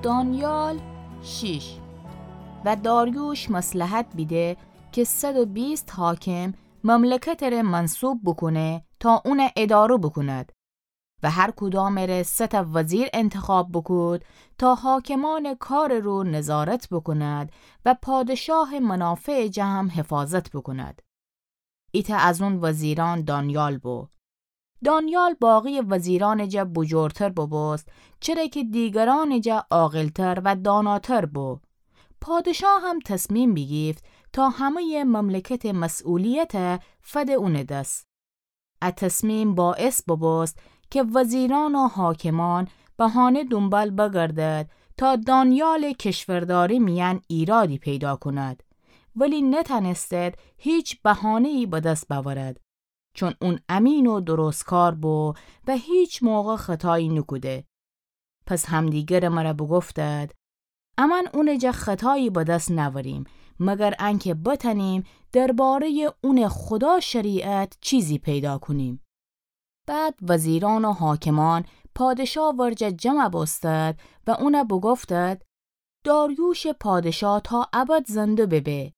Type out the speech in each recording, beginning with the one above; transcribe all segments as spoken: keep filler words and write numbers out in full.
دانیال شیش. و داریوش مصلحت بیده که صد و بیست حاکم مملکتٚ ره منصوب بوکونه تا اونَ اداره بوکوند و هر کدامٚ ره سه تأ وزیر انتخاب بوکود تا حاکمأنٚ کارٚ رو نظارت بوکوند و پادشاهٚ منافعٚ جا هم حفاظت بوکوند. ایتأ از اون وزیرأن دانیال بو. دانیال باقی‌یٚ وزیرأنٚ جا بوجورتر بوبوست، چره که دیگرأنٚ جا عاقلتر و داناتر بو. پادشاه هم تصمیم بیگیفت تا همه‌یٚ مملکتٚ مسئولیت فده اونٚ دس. ا تصمیم باعث بوبوست که وزیرأن و حاکمأن بهانه دونبال بگردد تا دانیالٚ کشورداری میأن ایرادی پیدا کند، ولی نتأنستد هیچ بهانه‌یی به دس بأورد، چون اون امین و درستکار بو و هیچ موقع خطایی نوکوده. پس همدیگرٚ مره بوگفتد: امأن اونٚ جا خطایی به دس نأوریم، مگر انکه بتأنیم درباره‌یٚ اونٚ خدا شریعت چیزی پیدا کونیم. بعد وزیرأن و حاکمأن پادشا ورجه جمع بوستد و اون بوگفتد: داریوشٚ پادشا تا ابد زنده ببه.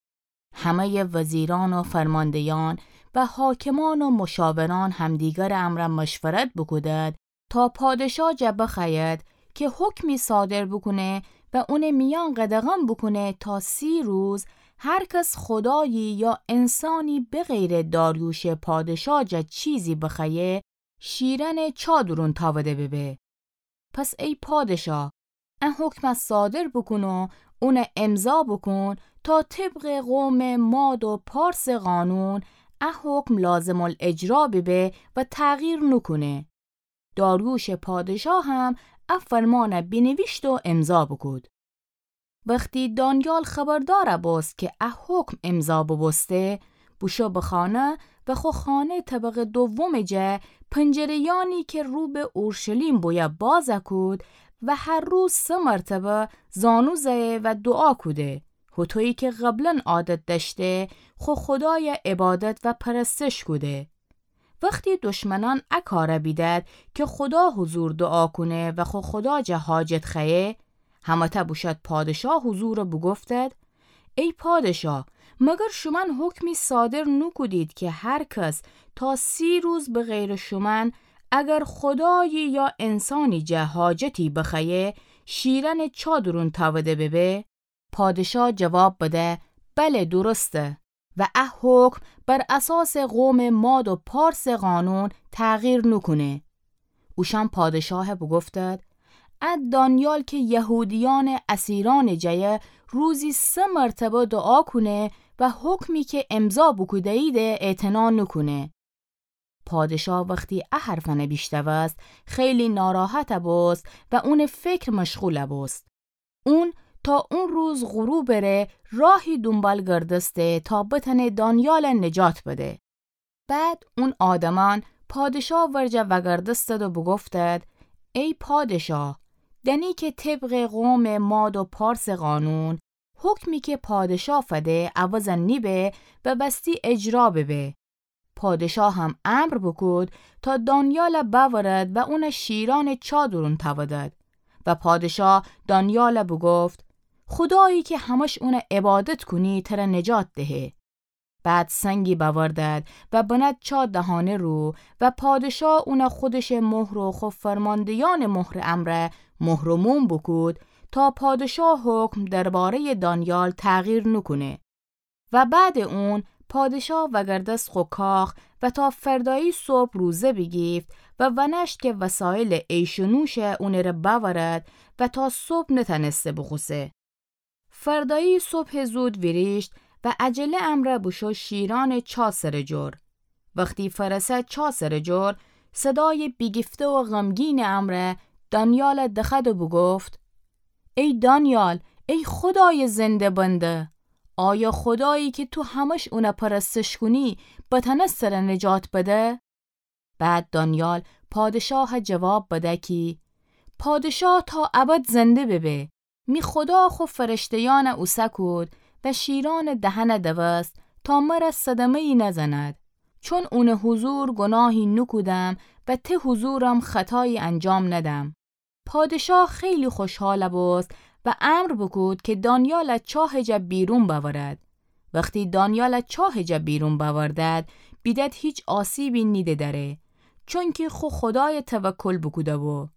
همه‌یٚ وزیرأن و فرمانده‌یأن و حاکمأن و مشاورأن همدیگرٚ امرأ مشورت بوکودد تا پادشا جا بخوأید که حکمی صادر بوکونه و اونٚ میأن قدغن بوکونه تا سی روز هر کس خدایی یا انسانی بغیرٚ داریوشٚ پادشا جا چیزی بخوأیه، شیرأنٚ چا دورون تأوده ببه. پس ای پادشا، ا حکم صادر بوکون و اون امضا بوکون تا طبقٚ قومٚ ماد و پارسٚ قانون ا حکم لازم‌الاجرا ببه و تغییر نوکونه. داریوشٚ پادشا هم ا فرمان بینیویشت و امضا بوکود. وختی دانیال خبردار بوست که ا حکم امضا بوبوسته، بوشو به خانه و خو خانه طبقٚ دومٚ جا پنجره‌یأنی که رو به اورشلیم بویه باز کود و هر روز سه مرتبه زانو زأیه و دوعا کوده، هوطویی که قبلا عادت دأشته خو خدای عبادت و پرستش کوده. وختی دشمنأن ا کار بیدد که خدا حضور دوعا کونه و خو خدا جا حاجت خوأیه، همه‌تأ بوشد پادشا حضور بوگفتد: ای پادشا، مگر شومأن حکمی صادر نوکودید که هر کس تا سی روز بغیرٚ شومأن اگر خدایی یا انسانی جا حاجتی بخوأیه، شیرأنٚ چا دورون تأوده ببه؟ پادشا جواب بده: بله، درسته. و ا حکم بر اساسٚ قومٚ ماد و پارسٚ قانون تغییر نوکونه. اوشأن پادشا بوگفتد: ا دانیال که یهودیأنٚ اسیرأنٚ جا روزی سه مرتبه دوعا کونه و حکمی که امضا بوکوده‌ییده اعتنا نوکونه. پادشا وختی ا حرفأن بیشنوست، خیلی ناراحت بوست و اونٚ فکر مشغول بوست. اون تا اون روز غروبٚ ره راهی دونبال گردسته تا بتأنه دانیال نجات بده. بعد اون آدمأن پادشا ورجه وأگردستد و بوگفتد: ای پادشا، دأنی که طبقٚ قومٚ ماد و پارسٚ قانون، حکمی که پادشا فده عوض نیبه و وستی اجرا ببه. پادشا هم امر بوکود تا دانیال بأورد و اون شیرأنٚ چا دورون تأودد. و پادشا دانیال بوگفت: خدایی که همش اون عبادت کونی تر نجات دهه. بعد سنگی بأوردد و بند چا دهانه رو و پادشا اون خودشٚ مهر و خو فرماندهیأنٚ مهرٚ امرأ مهر و موم بوکود تا پادشا حکم دربارهیٚ دانیال تغییر نوکونه. و بعدٚ اون پادشا وأگردست خو کاخ و تا فردایی صبح روزه بیگیفت و ونأشت که وسایلٚ عیش و نوش اونٚ ره بأورد و تا صبح نتأنسته بوخوسه. فردایی صبحٚ زود ویریشت و عجله امرأ بوشو شیرأنٚ چا سرٚ جور. وختی فأرسه چا سرٚ جور، صدایٚ بیگیفته و غمگینٚ امرأ دانیال دخوأد و بوگفت: ای دانیال، ای خدایٚ زنده بنده، آیا خدایی که تو همش اون پرستش کونی بتأنست تر نجات بده؟ بعد دانیال پادشاه جواب بده کی: پادشا تا ابد زنده ببه. می خدا خو فرشتهیأن اوسه کود و شیرأنٚ دهن دوست تا مر صدمه‌یی نزند، چون اونٚ حضور گناهی نوکودم و ته حضورم خطایی انجام ندم. پادشاه خیلی خوشحال بوست و امر بوکود که دانیال چاه جا بیرون بأورد. وختی دانیال چاه جا بیرون بأوردد، بیدد هیچ آسیبی نیده دره، چونکی خو خدای توکل بوکوده بو.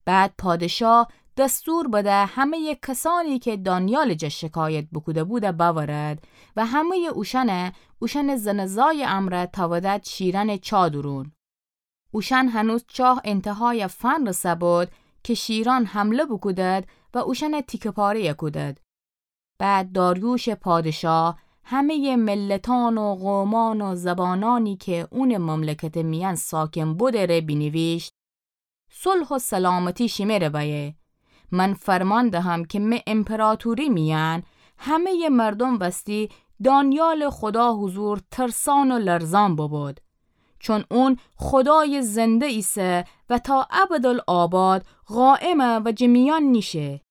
بعد پادشاه دستور بده همه‌ی کسانی که دانیال جا شکایت بوکوده بوده بأورد و همه‌ی اوشأنه، اوشأن زن زای امرأ تأودد شیرأن چاه دورون. اوشأن هنوز چاه انتهای فنرسه بود که شیرأن حمله بوکودد و اوشأن تیکه پاره کودد. بعد داریوش پادشاه همه‌ی ملتأن و قومأن و زبانأنی که اونٚ مملکتٚ میأن ساکن بوده ره بینیویشت: صلح و سلامتی شیمه ره بأیه. من فرمان دهم که مه امپراطوری میأن همه‌ی مردوم وستی دانیالٚ خدا حضور ترسأن و لرزأن ببود. چون اون خدای زنده ایسه و تا ابدالآباد قائمه و جٚه میأن نیشه.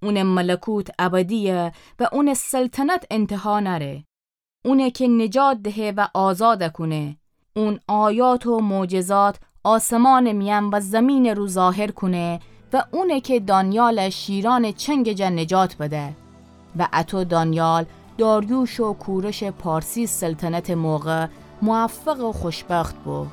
اونٚ ملکوت ابدیه و اونٚ سلطنت انتها نأره. اونه که نجات دهه و آزاد کونه. اون آیات و معجزات آسمانٚ میأن و زیمینٚ رو ظاهر کونه و اونه که دانیال شیرأنٚ چنگ جا نجات بده. و اطو دانیال داریوش و کورش پارسی سلطنتٚ موقع موفق و خوشبخت بو.